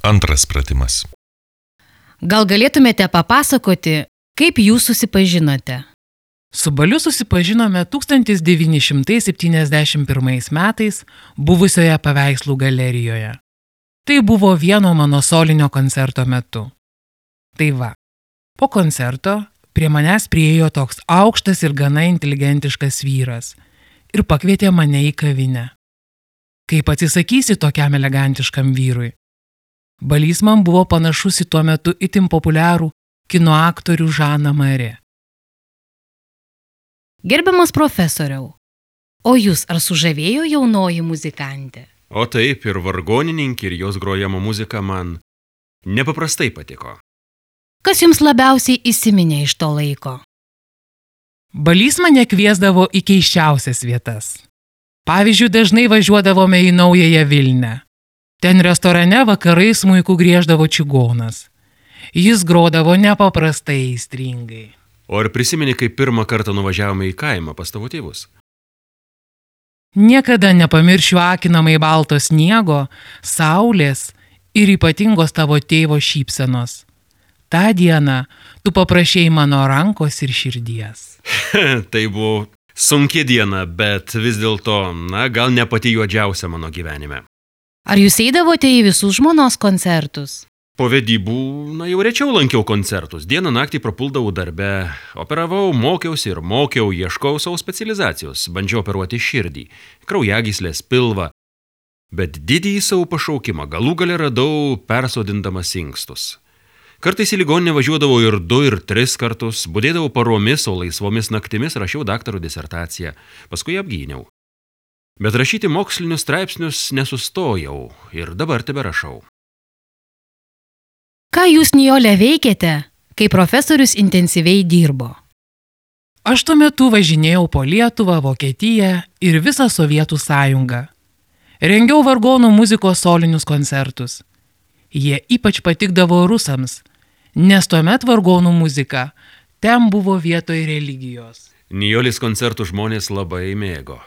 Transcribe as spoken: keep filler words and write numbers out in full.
Antras pratimas. Gal galėtumėte papasakoti, kaip jūs susipažinote? Su Baliu susipažinome tūkstantis devyni šimtai septyniasdešimt pirmais metais buvusioje paveikslų galerijoje. Tai buvo vieno mano solinio koncerto metu. Tai va, po koncerto prie manęs priėjo toks aukštas ir gana inteligentiškas vyras ir pakvietė mane į kavinę. Kaip atsisakysi tokiam elegantiškam vyrui? Balys man buvo panašus į tuo metu itin populiarų kino aktorių Žaną Marė. Gerbiamas profesoriau, o jūs ar sužavėjo jaunoji muzikantė? O taip, ir vargonininkė, ir jos grojama muzika man nepaprastai patiko. Kas jums labiausiai įsiminė iš to laiko? Balys mane kviesdavo į keisčiausias vietas. Pavyzdžiui, dažnai važiuodavome į Naująją Vilnią. Ten restorane vakarais smuiku grieždavo čigonas. Jis grodavo nepaprastai aistringai. O ar prisimeni, kai pirmą kartą nuvažiavome į kaimą pas tavo tėvus? Niekada nepamiršiu akinamai balto sniego, saulės ir ypatingos tavo tėvo šypsenos. Ta diena tu paprašei mano rankos ir širdies. Tai buvo sunki diena, bet vis dėlto, na, gal ne pati juodžiausia mano gyvenime. Ar jūs eidavote į visus žmonos koncertus? Po vedybų, na, jau rečiau lankiau koncertus. Dieną naktį prapuldavau darbe, operavau, mokiausi ir mokiau, ieškau savo specializacijos, bandžiau operuoti širdį, kraujagyslės, pilvą. Bet didįjį savo pašaukimą galų gale radau persodindamas inkstus. Kartais į ligoninę važiuodavau ir du, ir tris kartus, budėdavau paromis, o laisvomis naktimis rašiau daktaro disertaciją, paskui apgyniau. Bet rašyti mokslinius straipsnius nesustojau ir dabar teberašau. Ką jūs, Nijole, veikėte, kai profesorius intensyviai dirbo? Aš tuo metu važinėjau po Lietuvą, Vokietiją ir visą Sovietų sąjungą. Rengiau vargonų muzikos solinius koncertus. Jie ypač patikdavo rusams, nes tuomet vargonų muzika ten buvo vietoj religijos. Nijolės koncertų žmonės labai mėgo.